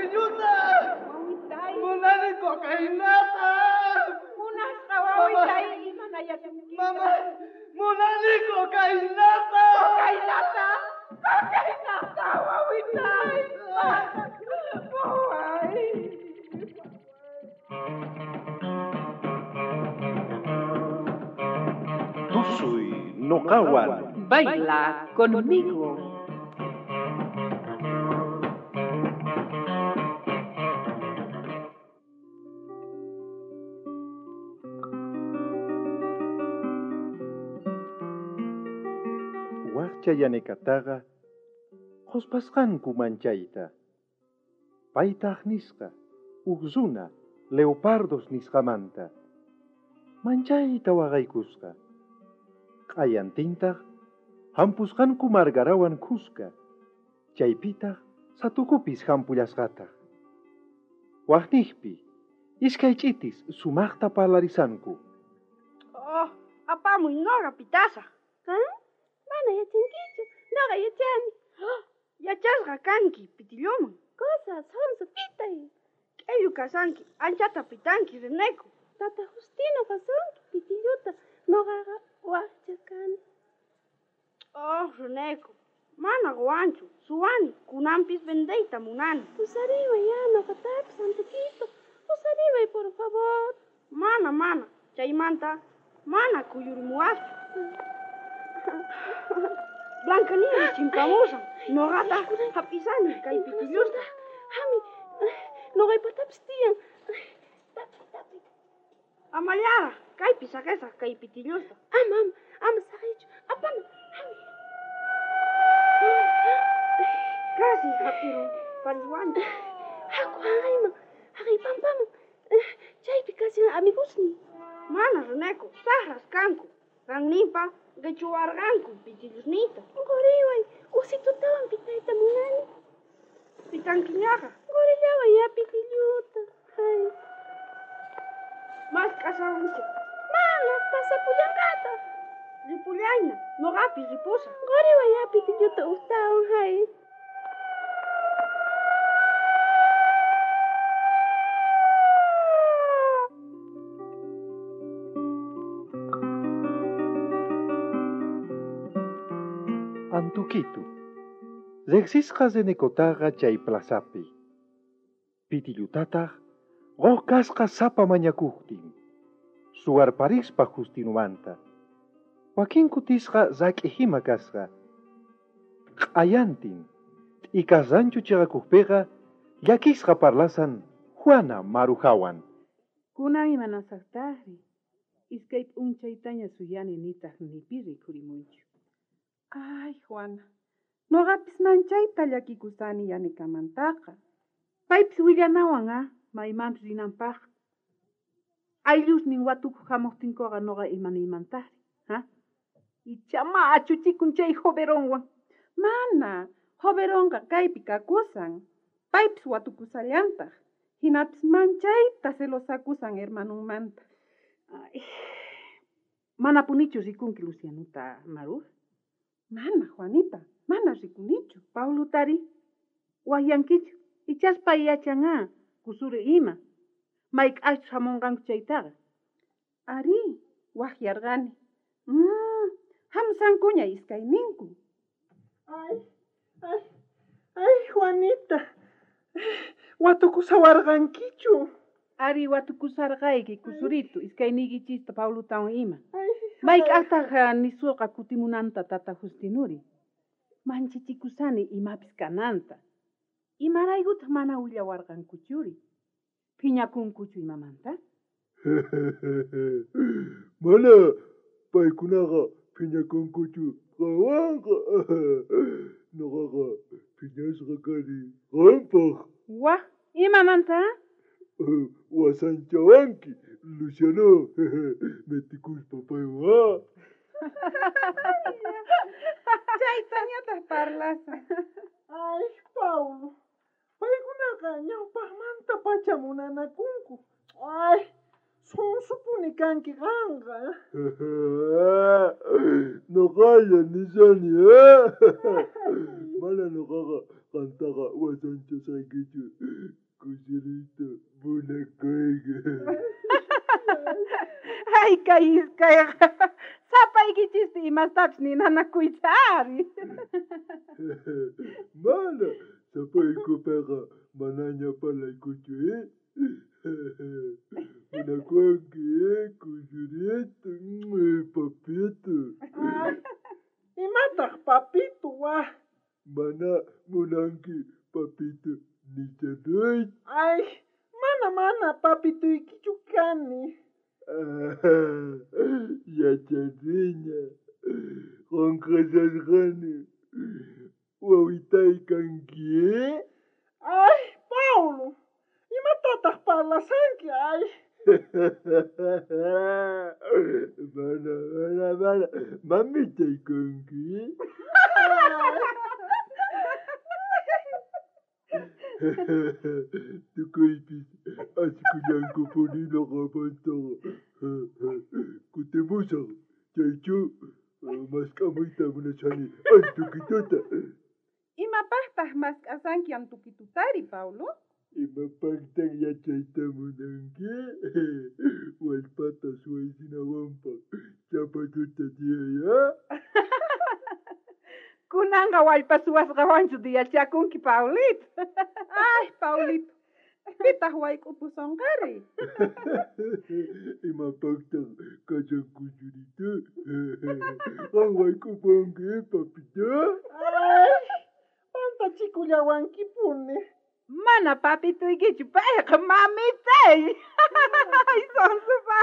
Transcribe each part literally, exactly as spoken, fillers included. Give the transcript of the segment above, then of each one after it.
pitilluta! Wawitay! Munani cocainata! Munasqa wawitay, imanayasunki? Mama, munani cocainata! Cocainata! Cocainata, wawitay! Waway! Tusuy noqawan. Baila conmigo. Waqcha Yanekataqa qhuspasqanku manchayta. Paytaq nisqa uj runa leopardos nisqamanta. Manchayta waqaykusqa. Q'ayantintaq hampusqanku margarawan khuska. Chaypitaq satukupis hampullasqataq. Waqniqpi iskay ch'itis sumaqta parlarisanku. Oh, apamuy noqa pitasaq. ¿Ah? Mana yachankichu, noqa yachani. Yachasqa kanki pitilluman. Cosa, sonso, pitay. K'ellu kasanki, anchata pitanki, Reneco. Tata Justino qasunki pitilluta, noqaqa waqcha kani. Oh, Reneco, mana quwanchu, suwani, kunanpis vendeyta munani. Pusariway ya noqatapis, Antukito. Pusariway, por favor. Mana, mana, chaymanta mana kuyurimuwaschu. Blancanieves chimpamusan, noqata hap'isani kay pitillusta. Hami, noqaypatapis tiyan. Tapi, tapi. Amallaraq, kaypi saqesaq kay pitillusta. Ama, ama, ama saqeychu. Apana, hami. Casi hap'irun pariswanchu. Haku haqayman, haqay pampaman. Chaypi kashan amigosniy. Mana, Reneco, saqras kanku. Qanninpa qichuwarqanku pitillusniyta. Quriway, usitutawan pitayta munani. Pitankiñaqa. Qurillaway ya pitilluta. Ay. Mask'asawanchik. Mana, pasapullanqataq. Ripullayna, noqapis ripusaq. Quriway ya pitilluta ujtawan, hay. Antukitu. Riqsisqa Renecotaqa chay plazapi. Pitillutataq quq kasqa sapa mañakuqtin. Suwarparispa Justinumanta. Wakin kutisqa rak'ihima kasqa. Q'ayantin, t'ikas rancho chiqakuqpiqa llakisqa parlasan Juana Marujawan. Kunan imanasaqtaqri. Iskay p'unchaytaña suyani nitaq nipi rikhurimunchu. Ay, Juana, noqapis manchayta llakikusani Yanekamantaqa. Paypis willanawan, ah, maymanpis rinanpaq. Ayllusnin watukuq hamuqtinkuqa noqa imanimantaqri, ha? Ichama achuchikun chay joveronwan. Mana, joveronqa kaypi kakusan. Paypis watukusallantaq. Hinapis manchayta celosakusan hermanunmanta. Ay, manapunichu rikunki Lucianuta, Maru? Mana, Juanita, mana rikunichu. Paulutari, waqyankichu, ichaspa yachan ah, kusuri ima. Mayk'aqchus hamunqanku chaytaqa. Ari, waqyarqani. Mm, hamusankuña iskayninku. Ay, ay, ay, Juanita. Watukusawarqankichu. Ari, watukusarqayki, kusuritu, iskayniykichista Paulutawan ima. Ay, Mayk'aqtaq nisuqa kutimunanta tata Justinuri. Manchichikusani imapis kananta. Imaraykutaq mana willawarqankuchuri? Phiñakunkuchu imamanta? Mana paykunaqa phiñakunkuchu qanwanqa. Noqaqa phiñasqa kani qampaq. Waj, imamanta? Wasanchawanki, Luciano, metikuspa paywan. Chaytañataq parlasan. Ay, Paulo, paykunaqa ñawpaqmanta pacha munanakunku. Ay, sonsupuni kanki qanqa. Noqalla nishani, mana noqaqa Qantaqa wasanchasqaykichu, Kusurito, munakuyki. Ay, kay iskayqa sapaykichispi imastapis ninanakuyta ari. Mana, sapaykupiqa manaña parlaykuchu, eh? Munakuwanki, eh, Kusurito, papito. Imataq papito, wa? Mana munanki papito nichanayta. Ay, mana mana papituykichu kani. Yachaniña, qonqasasqani, wawitay kanki, eh? Ay, Paulo, imatataq parlasanki, ay? Mana, mana, mana, mamitay kanki, eh? Tukuypis asikullankupuni noqamantaqa. Kutimusaq, chaychu mask'amuyta munashani antukituta. Imapaqtaq mask'asanki antukitutari, Paulo? Imapaqtaq yachayta munanki? Wallpata suwaysinawanpaq chapatuta tiyaya. Kunanqa wallpa suwasqawanchu diyachakunki, Paulito. Ay, Paulito, pitaq wayk'upusonqari? Imapaqtaq kashan Kusurito? Qan wayk'upunki, papito? Ay, pantachikullawankipuni. Mana papituykichu, payqa mamitay. Ay, sonsupa.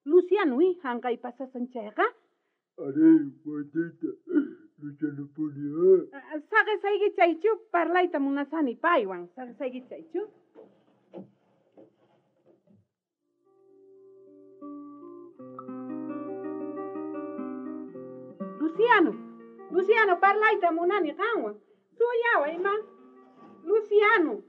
Luciano, hanqay pasasan chayqa? Arí, Juanita, Lucianopuni, ah. Saqesayki chaychu, parlayta munasani paywan. Saqesayki chaychu. Luciano, Luciano, parlayta munani qanwan. Suyaway, ma. Luciano,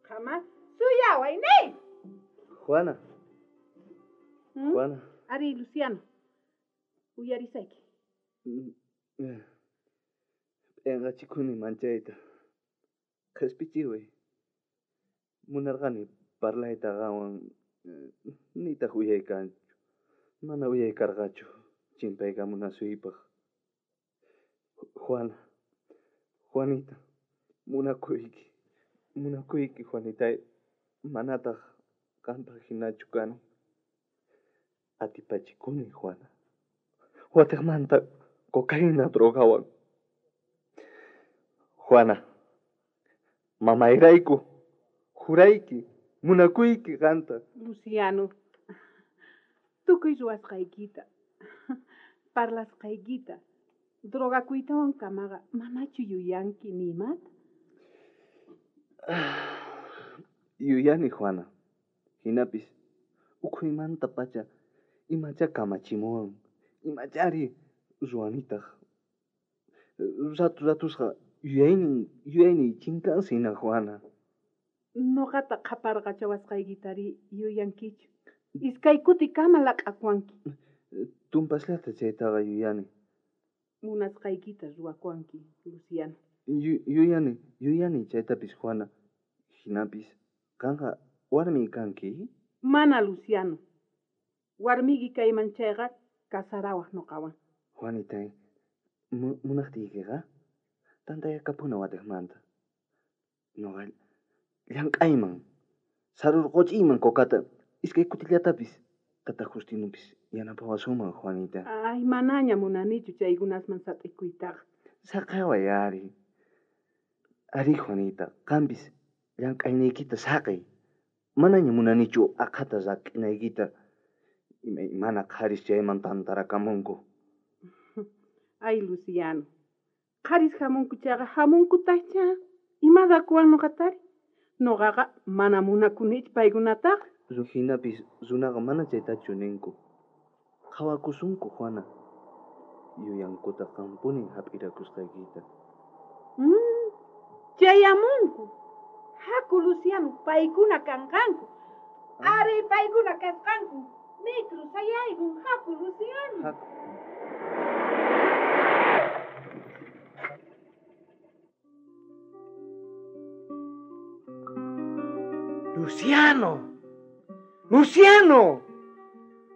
qama, suyaway, ni. Juana. ¿Mm? Juana. Ari, Luciano. Uyarisayki. P'enqachikuni manchayta. Qhispichiway. Munarqani parlayta qanwan, nitaq uyaykanchu. Mana uyaykarqachu chimpaykamunasuypaq. Juana, Juanita, munakuyki. Munakuyki, Juanitay. Manataq qanpaq hinachu kani. Atipachikuni, Juana. Watiqmanta cocaína drogawan. Juana, mamayrayku, jurayki, munakuyki qanta. Luciano, tukuy ruwasqaykita, parlasqaykita, drogakuytawan kamaqa manachu yuyanki ni imata? Yuyani, Juana. Hinapis ukhuymanta pacha imacha kamachimuwan. Imachari ruwanitaq. Ratu ratusqa yuyaynin yuyayniy chinkansina, Juana. Noqata qhaparqachawasqaykitari yuyankichu. Iskay kutikama laq'akuwanki. Tumpasllata chaytaqa yuyani. Munasqaykita ruwakuwanki, Luciano. Yuyani, yuyani chaytapis, Juana. Hinapis, qanqa warmi kanki? Mana, Luciano. Warmiyki kayman chayqa kasarawaq noqawan. Juanitay, munaqtiykiqa tantayakapuna watiqmanta. Noqa llank'ayman, sarurquchiyman cocata, iskay kutillatapis, tata Justinupis yanapawasunman, Juanita. Ay, manaña munanichu chaykunasman sat'ikuytaqa. Saqeway ari. Ari, Juanita, qampis llank'ayniykita saqey. Manaña munanichu aqhata rak'inaykita. Imaymana qharis chayman tantarakamunku. Ay, Luciano, qharis hamunku chayqa hamunkutaqcha. Imadakuwan noqatari? Noqaqa mana munakunichu paykunataqa. Hinapis runaqa mana chaytachu ninku. Qhawakusunku, Juana. Yuyankuta qanpuni hap'irakusqaykita. Mm, chayamunku. Haku, Luciano, paykuna kanqanku. Ari, paykuna kasqanku. Micro sayaykun, haku, Luciano. Haku. Luciano! Luciano!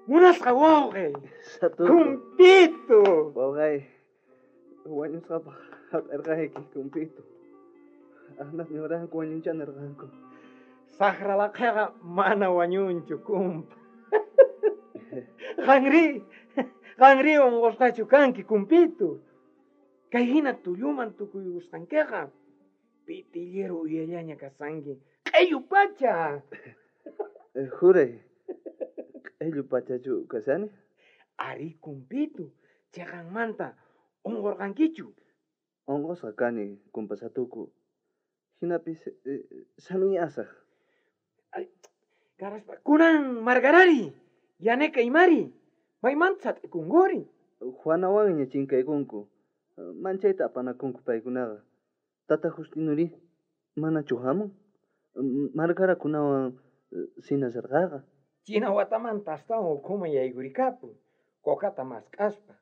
Munasqa wawqi! Kumpito! Wawqay, wañusqapaq hap'irqayki, kumpito. Asnas niwarqanku wañuncha nirqanku. Saqra laqhaqa mana wañunchu, kumpa. Qanri, qanri unqusqachu kanki, kumpito. Kay hina tulluman tukuyusqankiqa pitillero uyallaña kasanki. Q'ellu pacha! Juray, q'ellu pachachu kasani? Ari, kumpito, chayqanmanta unqurqankichu? Unqusqa kani, kumpa Satuku. Hinapis sanuyasaq. Karaspa, kunan Margarari, yaneka imari, maymanta sat'ikunkuri? Juanawanña chinkaykunku, manchayta apanakunku paykunaqa. Tata Justinuri, manachu hamun? Margarakunawan sinasarqaqa. China watamanta astawan ukhuman yaykurikapun, kokata mask'aspa.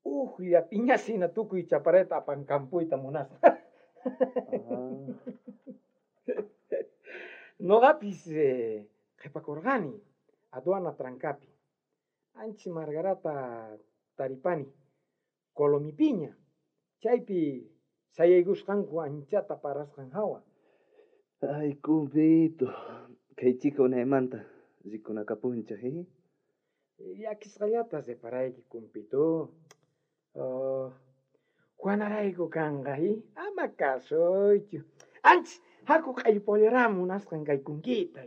Ujlla piñasina tukuy chapareta apankampuyta munasqa. Noqapis qhipakurqani aduana trancapi. Anchi Margarata taripani, Colomipiña. Chaypi sayaykusqanku anchata parasqan hawa. Ay, kumpito, kay chika unaymanta rikunakapunchej, eh? Llakisqallata reparayki, kumpito. Oh, Juanarayku kanqa, eh? Ama kasuychu. Anchis haku q'ellu munasqan kay kunkita.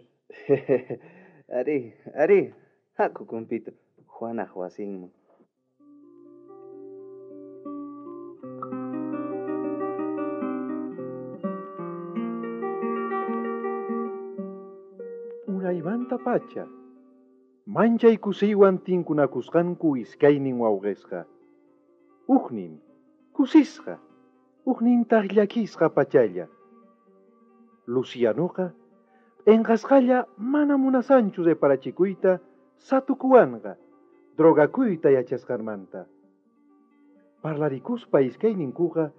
Ari, ari, haku kumpito, Juanaj wasinman. Unaymanta pacha, manchay kusiywan tinkunakusqanku iskaynin wawqisqa. Ujnin kusisqa, ujnintaq llakisqa pachalla. Lucianoqa p'inqasqalla mana munasanchu reparachikuyta Satukuwanqa drogakuyta yachasqanmanta. Parlarikuspa iskayninkuqa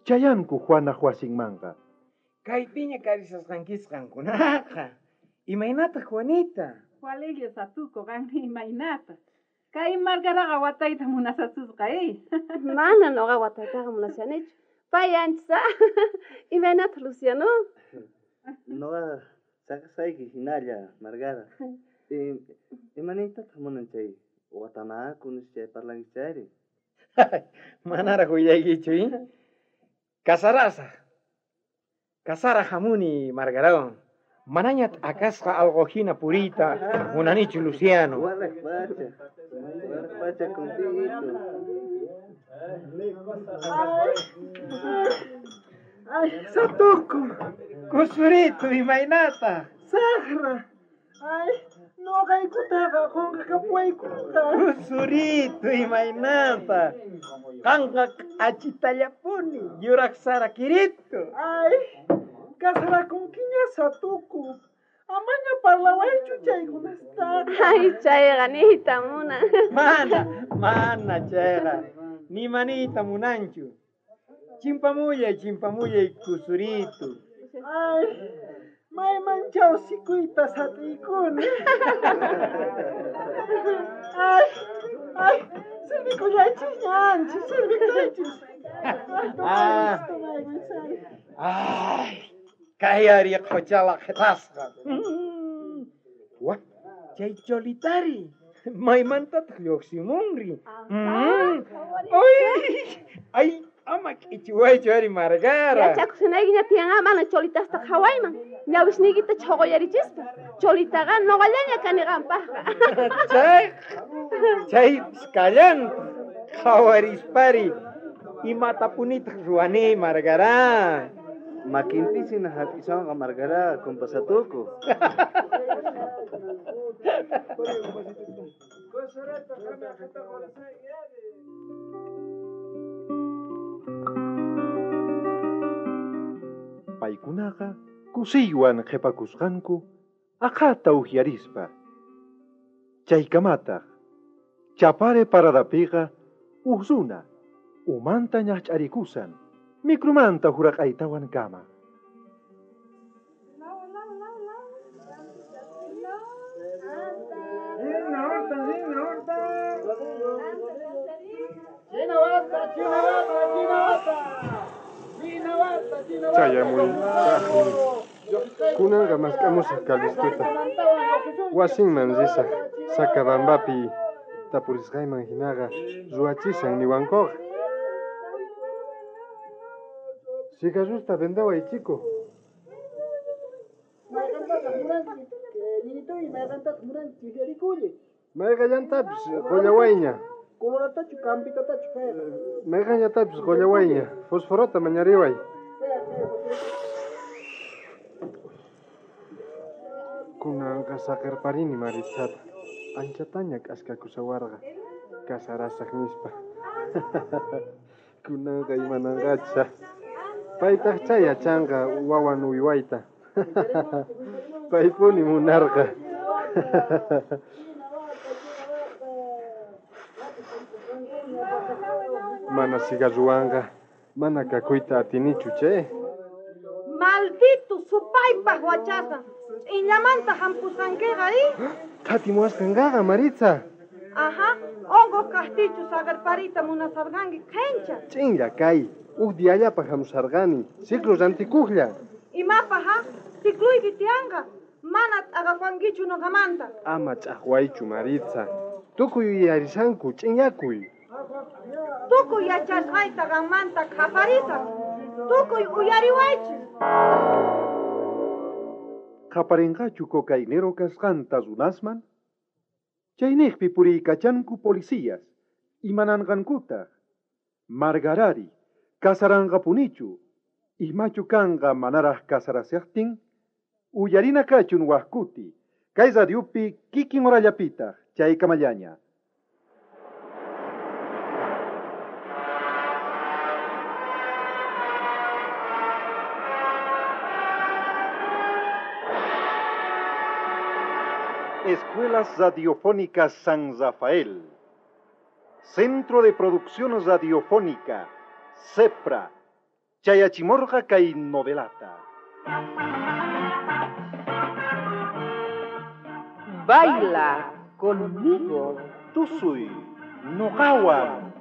chayanku Juanaj wasinmanqa. Kaypiña karisasqankis qankunaqa. Imaynataq Juanita? Walilla Satuku qanri imaynata. Kay Margaraqa watayta munasasusqa, eh? Mana noqa wataytaqa munashanichu. Pay anchis, imaynataq Luciano? Noqa saqasayki hinalla, Margara. Imaniytataq munan chay watanaku nispa chay parlanki chayri? Manaraq willaykichu, eh? Kasarasaq. Kasaraq hamuni, Margarawan. Manaña t'akasqa alqu hina puriyta munanichu, Luciano. Walaq pacha, walaq pacha, kumpito. Ay, Satuku. Kusurito, imaynata? Saqra. Ay, noqaykutaqa qunqakapuwaykuqa. Kusurito, imaynata? Qanqa k'achitallapuni, yuraq sara kirito. Ay, kasarakunkiña Satuku. Amaña parlawaychu chaykunastaqa. Ay, chayqa niyta munan. Mana, mana chayqa. Ni maniyta munanchu. Chimpamullay, chimpamullay, kusurito. Ay, mayman chawsikuyta sat'iykuni. Ay, ay, sirvikullaychis anchis, sirvikuychis. Ah, ay, kay ari qhuchala qhitasqa. Wa, chay cholitari. Maymantataq lluqsimunri. Ay, ay, ama k'ichiwaychu ari Margara. Yachakusunaykiña tiyan mana cholitasta qhawayman. Ñawisniykita chhuquyarichispa. Cholitaqa noqallaña kani qanpaqqa. Chay, chay kallan qhawarispari. Imatapunitaq ruwani, Margara? Makinpisina hap'isanqa Margara, kumpa Satuku. Paykunaqa kusiywan qhipakusqanku aqhata uqyarispa. Chaykamataq Chapare paradapiqa uj runa umanta ñaqch'arikusan micromanta huraq'aytawan kama. Chayamuytaqmi. Kunanqa mask'amusaq Calistuta. Wasinman risaq Sacabambapi tapurisqayman hinaqa ruwachisan niwankuqa. Cigarrosta vendaway, chico. Mayqallantapis qullawayña. Coloratachu campitatachu kayqa. Mayqallatapis qullawayña. Fosforota mañariway. Kunanqa saqirparini Maritzata. Anchataña k'askakushawarqa kasarasaq nispa. Kunanqa imananqacha. Paytaqcha yachanqa wawan uywayta. Paypuni munarqa. Mana cigarruwanqa mana kakuyta atinichu che. Maldito supaypaq wachasqa. Ch'inllamanta hampusqankiqa i? Thatimuwasqanqaqa Maritza. Aha, unquq kaqtichu saqirpariyta munasarqanki qhincha. Ch'inlla kay. Uj diallapaq hamusarqani. Ciclo rantikuqlla. Imapaq ha? Cicluyki tiyanqa. Mana t'aqawankichu nuqamanta. Ama ch'aqwaychu Maritza. Tukuy yuyarisanku ch'inyakuy. Tukuy yachasqayta qammanta qhaparisaq. Tukuy uyariwaychis. Qaparinqachu cocainero kasqanta runasman? Chayniqpi puriykachanku policías, imananqankutaq. Margarari, kasaranqapunichu, imachu kanqa manaraq kasarasiqtin? Uyarina kachun waqkuti, kay radiopi kikin horallapitaq, chaykamallaña. Escuelas Radiofónicas San Rafael, Centro de Producción Radiofónica, CEPRA, Chayachimorga kay novelata. Baila conmigo. Tusuy, noqawan.